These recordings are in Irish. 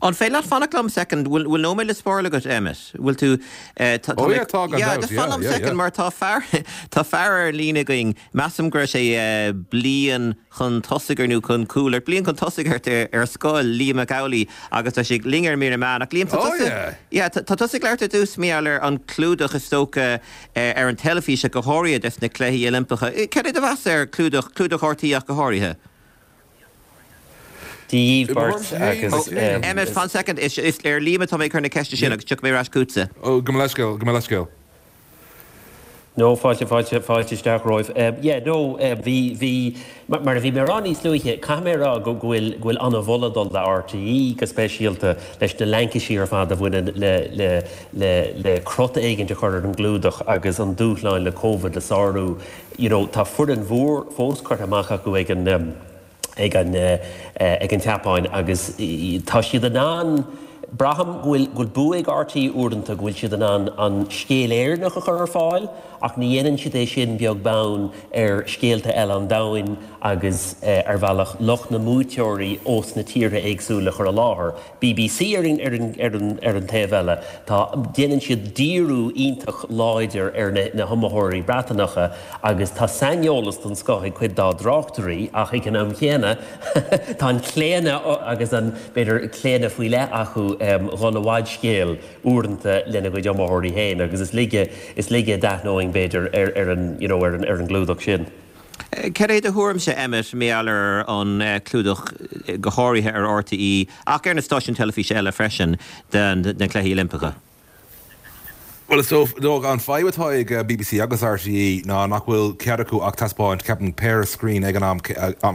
An féidir leat fanacht liom soicind? Bhfuil bhfuil nóiméad le spáráil agat, Emmet? Bhfuil tú tá Oh yeah, tá gan Yeah, dabht, just fan yeah, liom yeah, soicind yeah. mar tá fear tá fear ar líne againn, measaim go raibh sé bliain chun tosaigh ort nó chun cúil ort, bliain chun tosaigh ort ar ar scoil, Liam Mac Amhlaigh agus tá sé linn ar Mír na Meán. Ach Liam, tá Oh tusa yeah. yeah, tá tá tusa ag labhairt ar dtús mar gheall ar an clúdach is dócha ar an teilifís ach go háirithe des na Cluichí Oilimpeacha. Cad é do mheas ar clúdach, clúdach RTÉ ach go háirithe? Dia dhíbh beirt agus. Emmet, fan soicind, is ar Liam atá mé ag cur na ceiste sin agus tiocfaidh mé ar ais chugatsa. Ó, gabh mo leithscéal, gabh mo leithscéal. No, fáilte, fáilte, fáilte isteach romhaibh. Yeah, no, bhí, bhí, mar a bhí mé a rá níos luaithe, caithfidh mé a rá go bhfuil, go bhfuil an-mholadh ag dul le RTÉ go speisialta leis na laincisí ar fad a bhaineann le, le, le, le crot éigint a chur ar an gclúdach agus an dúshláin le Covid le sárú. You know, tá foireann mhór fós curtha amach acu ag an, ag an, ag an tSeapáin agus tá siad in ann, braithim go bhfuil, go bhfuil bua ag RTÉ uaireanta go bhfuil siad in ann an scéal Éireannach a chur ar fáil ach ní dhéanann siad é sin beag beann ar scéalta eile an domhain agus ar bhealach lucht na mbuaiteoirí ós na tíortha éagsúla a chur i láthair. BBC ar an, ar an, ar an, ar an taobh eile, tá, déanann siad díriú iontach láidir ar na, na hiomaitheoirí Breatanacha agus tá saineolas den scoth ag cuid dá dtráchtairí ach ag an am chéanna tá an claonadh agus an, b'fhéidir, claonadh faoi leith acu dhul i bhfadscéal uaireanta lena gcuid iomaitheoirí féin agus is laige, is laige a d'aithneoinn b'fhéidir ar, ar an, you know, ar an, ar an gclúdach sin. Cad é do thuairimse, Emmet, mar gheall ar an clúdach, go háirithe ar RTÉ, ach ar na stáisiúin teilifíse eile freisin, de na Cluichí Oilimpeacha? Bhuel, is dócha, an fadhb atá ag BBC agus RTÉ ná nach bhfuil cead acu ach taispeáint, ceapaim, péire screen ag an am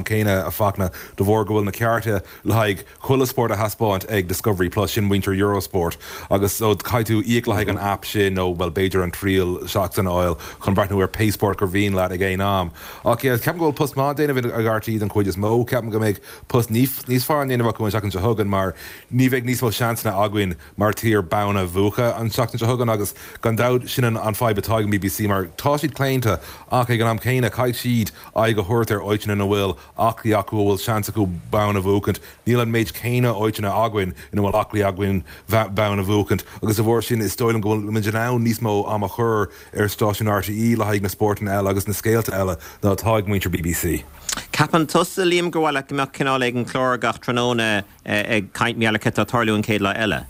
céanna, a Fachtna, de bharr go bhfuil na cearta le haghaidh chuile spórt a thaispeáint ag Discovery Plus, sin muintir Eurosport, agus so caithfidh tú íoc le haghaidh an app sin nó, bhuel, b'fhéidir an triail seachtaine a fháil chun breathnú ar pé spórt gur mhian leat ag aon am. Ach yeah, ceapaim go bhfuil post maith á déanamh ag RTÉ den chuid is mó. Ceapaim go mbeidh post níos fearr á ndéanamh acu an tseachtain seo chugainn mar ní bheidh níos mó seansanna againn mar tír bonn a bhuachan an tseachtain seo chugainn agus gan dabht sin an fadhb atá ag an BBC mar tá siad claonta ach ag an am céanna caithfidh siad aghaidh a thabhairt ar áiteanna ina bhfuil aclaí acu a bhfuil seans acu bonn a bhuachaint. Níl an méid céanna áiteanna againn ina bhfuil aclaí againn bonn a bhuachaint agus de bharr sin is dóigh liom go bhfuil muid in ann níos mó am a chur ar stáisiún RTÉ le haghaidh na spórtanna eile agus na scéalta eile ná atá ag muintir BBC. Ceapann tusa, Liam, gur mhaith leat go mbeadh cineál éigin clár gach tráthnóna ag caint mar gheall ar cad tá ag tarlú an chéad lá eile?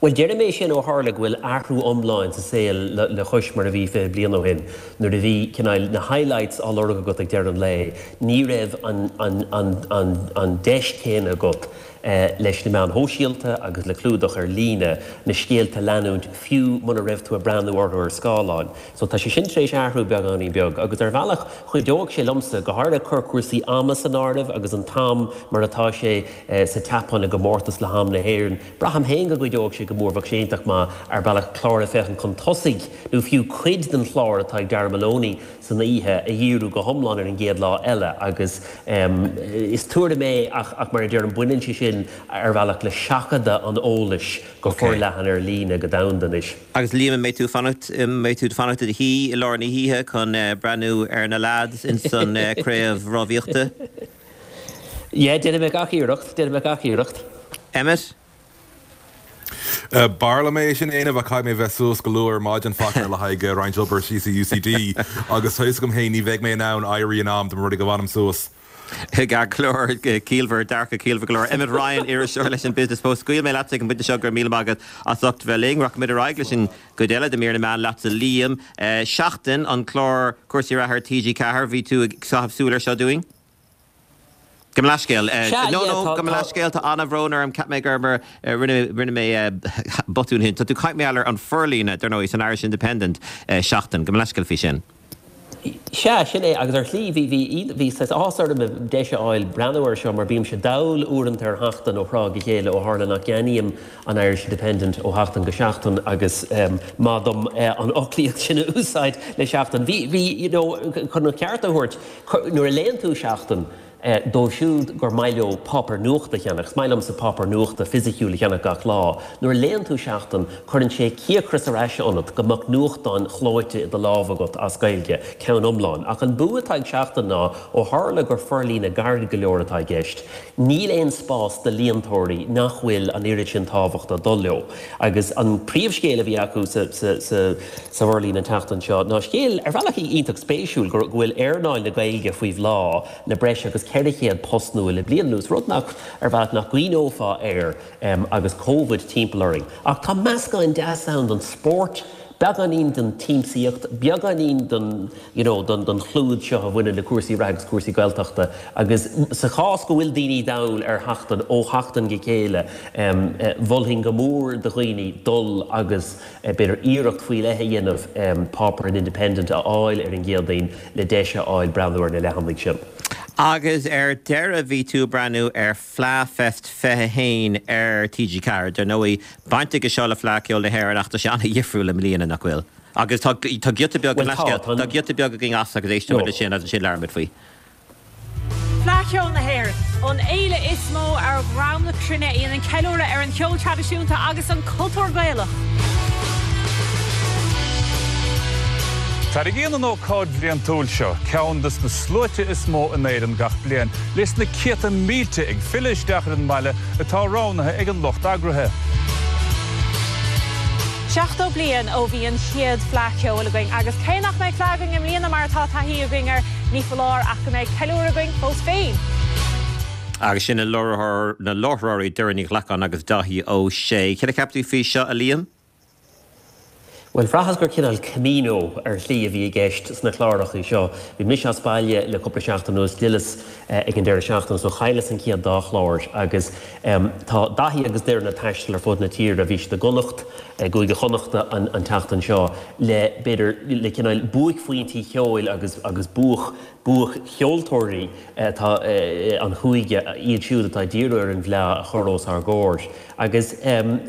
Bhuel, deirim é sin ó tharla go bhfuil athrú iomlán sa saol le cois mar a bhí 20 bliain ó shin. Nuair a bhí cineál na highlights á lorg agat ag deireadh an lae, ní raibh an an an an an deis chéanna agat leis na meáin shóisialta agus le clúdach ar líne na scéalta a leanúint fiú muna raibh tú ag breathnú orthu ar scáileán. So tá sé sin tar éis athrú beagáinín beag agus ar bhealach chuideodh sé liomsa, go háirithe cur cúrsaí ama san áireamh agus an t-am mar atá sé sa tSeapáin i gcomórtas le ham na hÉireann. Braithim féin go gcuideodh sé go mór, bheadh sé iontach maith ar bhealach clár ag féachaint chun tosaigh nó fiú cuid den chlár atá ag Darragh Maloney san oíche a dhíriú go hiomlán ar an gcéad lá eile agus is tuairim é ach mar a deirim baineann sé sin ar bhealach le seachadadh an eolais go forleathan ar líne go domhanda anois. Agus Liam, an mbeidh tú fanacht, an mbeidh tú ag fanacht i do shuí i lár na hoíche chun breathnú ar na leaids ins an craobh rámhaíochta? Yeah, déanfaidh mé gach iarracht, déanfaidh mé gach iarracht. Emmet? B'fhearr liom é sin a dhéanamh ach caithfidh mé bheith suas go luath ar maidin Fachtna le haghaidh roinnt obair síos i UCD agus tá fhios agam féin ní bheidh mé in ann éirí in am dá mba rud é go bhfanaim suas. Ceart go leor, ciallmhar, dearcadh ciallmhar go leor. Emmet Ryan, iriseoir leis an Business Post. Scaoilfidh mé leatsa ag an bpointe seo, go raibh míle maith agat as ucht bheith linn. Rachaimid ar aghaidh leis an gcuid eile de Mír na Meán leatsa Liam. Seachtain, an clár cúrsaí reatha ar TG4, bhí tú ag caitheamh súil air seo dúinn? Gabh mo leithscéal. Sea, No, yeah, no, tá, gabh mo tá. leithscéal, tá an-bhrón orm, cheap mé gur mar, rinne, rinne mé botún ansin. Tá tú ag caint mar gheall ar an forlíonadh, dar ndóigh, san Irish Independent, Seachtain. Gabh mo leithscéal faoi sin. Sea, sin é, agus ar shlí, bhí, bhí, bhí saghas áthas orm deis a fháil breathnú air seo mar bímse dall uaireanta ar Sheachtain ó thráth go chéile ó tharla nach gceannaím an Irish Independent ó sheachtain go seachtain agus maith dom an fhoclaíocht sin a úsáid le Seachtain. Bhí, bhí, you know, chun an ceart a thabhairt, nuair a léann tú Seachtain, Dóibh siúd gur maith leo páipéar nuachta a cheannach, is maith liomsa páipéar nuachta fisiciúil a cheannach gach lá. Nuair a léann tú Seachtain, cuireann sé cíocras ar ais ionat go mbeadh nuachtán clóite i do lámh agat as Gaeilge, ceann iomlán. Ach an bua atá ag Seachtain ná, ó tharla gur forlíonadh gairid go leor atá i gceist, níl aon spás do líontóirí nach bhfuil an oiread sin tábhachta ag dul leo. Agus an príomhscéal a bhí acu sa sa bhforlíonadh an tseachtain seo ná scéal ar bhealach iontach spéisiúil, go bhfuil earnáil na Gaeilge faoi bhláth le breis agus 400 post nua le bliain anuas, rud nach, ar bhealach, nach gcuimhneofá air agus Covid timpeall orainn. Ach tá meascán deas ann den spórt, beagáinín den tsiamsaíocht, beagáinín den, you know, den chlúid seo a bhaineann le cúrsaí reatha agus cúrsaí Gaeltachta. Agus sa chás go bhfuil daoine dall ar Sheachtain ó sheachtain go chéile, mholfainn go mór do dhaoine dul agus, b'fhéidir iarracht faoi leith a dhéanamh páipéar an Independent a fháil ar an gCéadaoin le deis a fháil breathnú ar na leathanaigh sin. Agus ar deireadh bhí tú ag breathnú ar Fleadh Fest 21 ar TG4. Dar ndóigh, baint aige seo le Fleadh Ceoil na hÉireann ach tá sé an-dhifriúil i mbliana, nach bhfuil? Agus tá giota beag, tá giota beag againn as agus éistfidh muid leis sin agus ansin labhróidh muid faoi. Fleadh Cheoil na hÉireann, an fhéile is mó ar dhroim na cruinne a dhéanann ceiliúradh ar an cheol traidisiúnta agus an cultúr Gaelach. Tarraingíonn an ócáid bhliantúil seo ceann de na sluaite is mó in Éirinn gach bliain, leis na céadta mílte ag filleadh isteach ar an mbaile atá roghnaithe ag an lucht eagraithe. 70 bliain ó bhí an chéad Fleadh Cheoil againn agus cé nach mbeidh fleadh againn i mbliana mar atá taithí againn air, Ní foláir ach go mbeidh ceiliúradh againn fós féin. Agus sin na láithreoirí Doireann Ní Ghlacáin agus Dáithí Ó Sé. Céard a cheap tú faoi seo, a Liam? Bhuel, bhraitheas gur cineál Camino ar shlí a bhí i gceist sna cláracha seo. Bhí mise as baile le cúpla seachtain anuas, d'fhilleas ag an deireadh seachtaine so chailleas an chéad dá chlár agus tá Daithí agus Doireann ag taisteal ar fud na tíre. Bhí siad i gConnacht, i gCúige Chonnachta an tseachtain seo le, b'fhéidir, le cineál buaicphointí cheoil agus agus buaic, buaic-cheoltóirí atá an chúige, iad siúd atá ag díriú ar an bhFleá a chur os ár gcomhair. Agus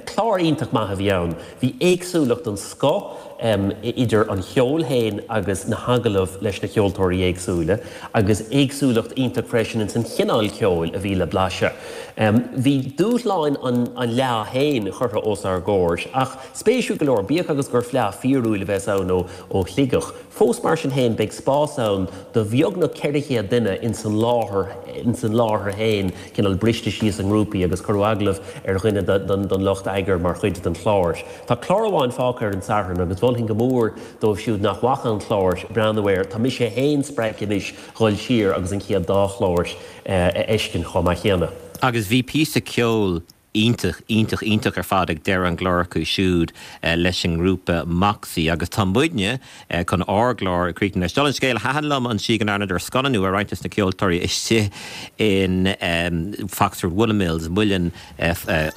clár iontach maith a bhí ann. Bhí éagsúlacht den scoth idir an cheol féin agus na hagallaimh leis na ceoltóirí éagsúla agus éagsúlacht iontach freisin ins an chineál ceoil a bhí le blaiseadh. Bhí dúshláin an Fhleá féin curtha os ár gcomhair ach spéisiúil go leor, bíodh agus gur fleá fíorúil a bheas ann ó Shligeach, fós mar sin féin beidh spás ann do bheagnach 400 duine ins an láthair, ins an láthair féin, cineál briste síos i ngrúpaí agus cuireadh agallamh ar dhuine den lucht eagair mar chuid den chlár. Tá clár amháin fágtha ar an Satharn agus mholfainn go mór dóibh siúd nach bhfaca an clár breathnú air. Tá mise féin spreagtha anois dhul siar agus an chéad dá chlár a fheiscint chomh maith céanna. Agus bhí píosa ceoil iontach, iontach, iontach ar fad ag deireadh an chláir acu siúd leis an ngrúpa Moxie agus tá muidne chun ár gclár a chríochnú leis. Dála an scéil, thaitin liom an tslí go ndearnadar scannánú ar roinnt des na ceoltóirí istigh in Foxford Woollen Mills, muileann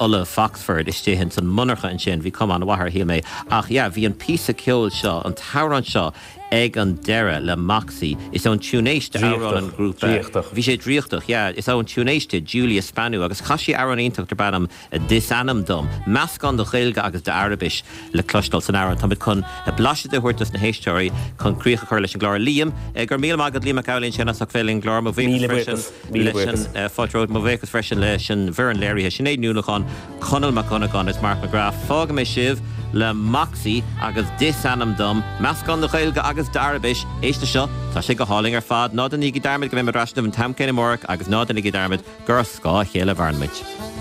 olla Foxford, istigh ins an monarcha ansin. Bhí cuma an-mhaith air, shíl mé. Ach yeah, bhí an píosa ceoil seo, an t-amhrán seo, Ag an deireadh, le Moxie, is ón Túinéis d'amhrán an ghrúpa. Draíochtach. Bhí sé draíochtach, yeah. Is ón Túinéis di, Julia Spanou, agus chas sí amhrán iontach darb ainm Is Ainm Dom. Meascán de Ghaeilge agus d'Araibis le cloisteáil san amhrán. Táimid chun blaiseadh de a thabhairt dos na héisteoirí chun críoch a chur leis an gclár. Liam, go raibh míle maith agat, Liam Mac Amhlaigh ansin as ucht bheith linn ar an gclár. Mo bhuíochas freisin leis an fáilte romhat. Mo bhuíochas freisin leis an bhfoireann léirithe, Sinéad Ní Uallacháin, Conall Mac Dhonnagáin is Mark McGrath. Fágfaidh mé sibh le Moxie agus Is Ainm Dom, meascán de Ghaeilge agus d'Araibis. Éist leis seo, tá sé go hálainn ar fad. Ná déanaigí dearmad go mbeidh muid ar ais libh an t-am céanna amárach agus ná déanaigí dearmad gur ar scáth a chéile a mhaireann muid.